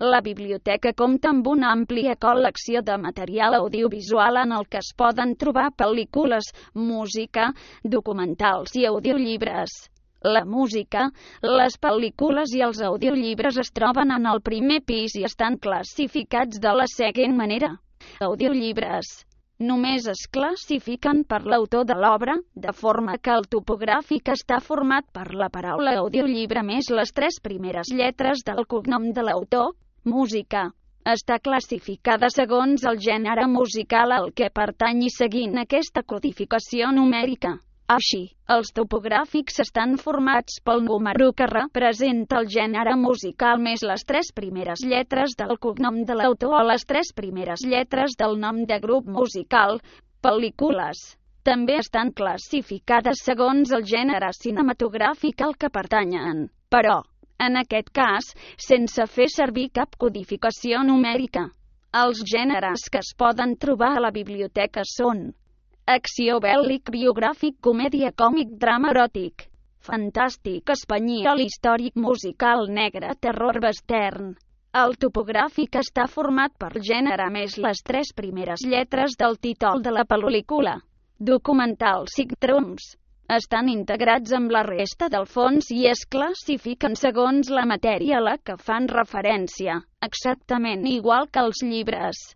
La biblioteca compta amb una àmplia col·lecció de material audiovisual en el que es poden trobar pel·lícules, música, documentals i audiollibres. La música, les pel·lícules i els audiollibres es troben en el primer pis i estan classificats de la següent manera. Audiollibres. Només es classifiquen per l'autor de l'obra, de forma que el topogràfic està format per la paraula audiollibre més les 3 primeres lletres del cognom de l'autor. Música. Està classificada segons el gènere musical al que pertany i seguint aquesta codificació numèrica. Així, els topogràfics estan formats pel número que representa el gènere musical més les 3 primeres lletres del cognom de l'autor o les 3 primeres lletres del nom de grup musical. Pel·lícules. També estan classificades segons el gènere cinematogràfic al que pertanyen, però, en aquest cas, sense fer servir cap codificació numèrica. Els gèneres que es poden trobar a la biblioteca són acció, bèl·lic, biogràfic, comèdia, còmic, drama, eròtic, fantàstic, espanyol, històric, musical, negre, terror, western. El topogràfic està format per gènere més les 3 primeres lletres del títol de la pel·lícula. Documental, sitcoms. Estan integrats amb la resta del fons i es classifiquen segons la matèria a la que fan referència, exactament igual que els llibres.